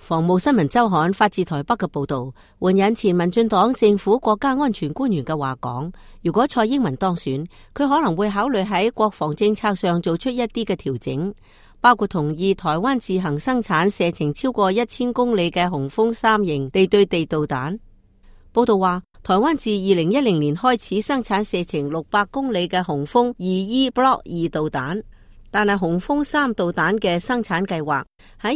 防務新聞週刊發自台北嘅報道，援引前民進黨政府國家安全官員嘅話講，如果蔡英文當選，佢可能會考慮喺國防政策上做出一啲嘅調整，包括同意台灣自行生產射程超過1000公里嘅雄風3型地對地導彈。報道話，台灣自2010年開始生產射程600公里嘅雄風 2E Block 2導彈。但係雄風3導彈嘅生產計劃喺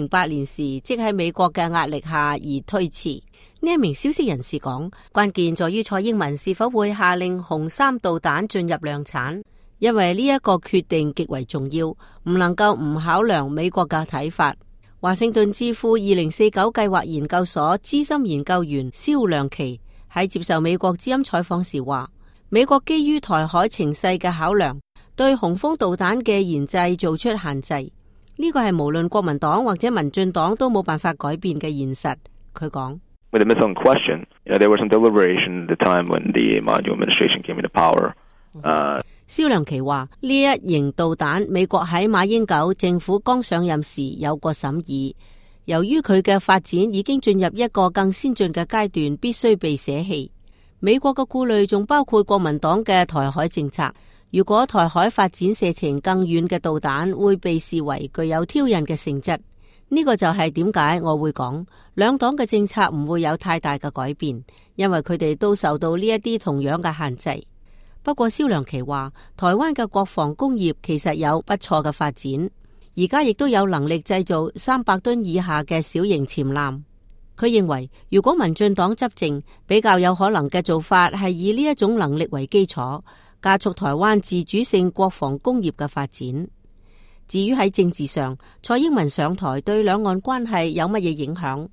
2008年時，即喺美國嘅壓力下而推遲。呢一名消息人士講，關鍵在於蔡英文是否會下令雄3導彈進入量產，因為呢一個決定極為重要，唔能夠唔考量美國嘅睇法。華盛頓智庫2049計劃研究所資深研究員蕭亮琪喺接受美國之音採訪時話，美國基於台海情勢嘅考量，對雄風導彈嘅研製做出限制，呢個係無論國民黨或者民進黨都冇辦法改變嘅現實。佢講，蕭亮琪話，呢一型導彈美國喺馬英九政府剛上任時有過審議，由於佢嘅發展已經進入一個更先進嘅階段，必須被捨棄。美國嘅顧慮仲包括國民黨嘅台海政策。如果台海發展射程更遠嘅導彈，會被視為具有挑釁嘅性質。呢個就係點解我會講兩黨嘅政策唔會有太大嘅改變，因為佢哋都受到呢一啲同樣嘅限制。不過蕭亮琪話，台灣嘅國防工業其實有不錯嘅發展，而家亦都有能力製造300噸以下嘅小型潛艦。佢認為，如果民進黨執政，比較有可能嘅做法係以呢一種能力為基礎，加速台灣自主性國防工業嘅發展。至於喺政治上，蔡英文上台對兩岸關係有乜嘢影響？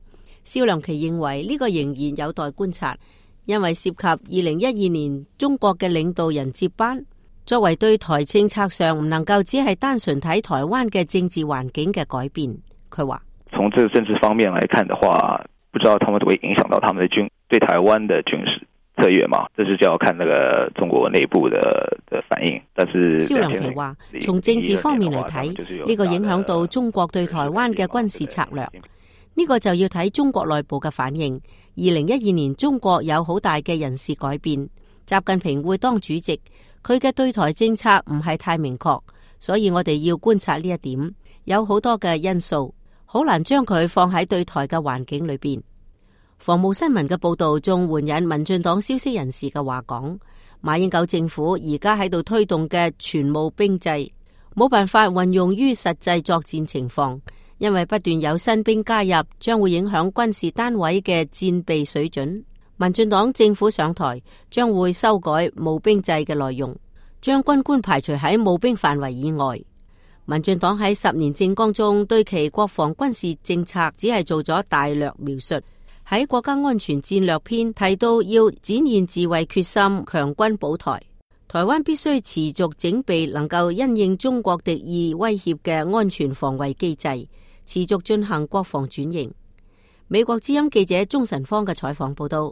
蕭亮琪認為呢個仍然有待觀察，因為涉及2012年中國嘅領導人接班，作為對台政策上唔能夠只係單純睇台灣嘅政治環境嘅改變。佢話：從這個政治方面來看的話，不知道他們會影響到他們的對台灣的軍事策略嘛？這是就要看那個中國內部的反應。但是蕭亮琪話，從政治方面嚟睇，呢個影響到中國對台灣嘅軍事策略。呢個就要睇中國內部嘅反應。2012年中國有好大嘅人事改變，習近平會當主席，佢嘅對台政策唔係太明確，所以我哋要觀察呢一點。有好多嘅因素，好難將佢放喺對台嘅環境裏邊。防務新聞嘅報道仲援引民進黨消息人士嘅話講，馬英九政府而家喺度推動嘅全募兵制，冇辦法運用於實際作戰情況，因為不斷有新兵加入，將會影響軍事單位嘅戰備水準。民進黨政府上台將會修改募兵制嘅內容，將軍官排除喺募兵範圍以外。民進黨喺10年政綱中對其國防軍事政策只係做咗大略描述。喺國家安全戰略篇提到要展現自衛決心，強軍保台。台灣必須持續整備能夠因應中國敵意威脅嘅安全防衛機制，持續進行國防轉型。美國之音記者鍾晨芳嘅採訪報道。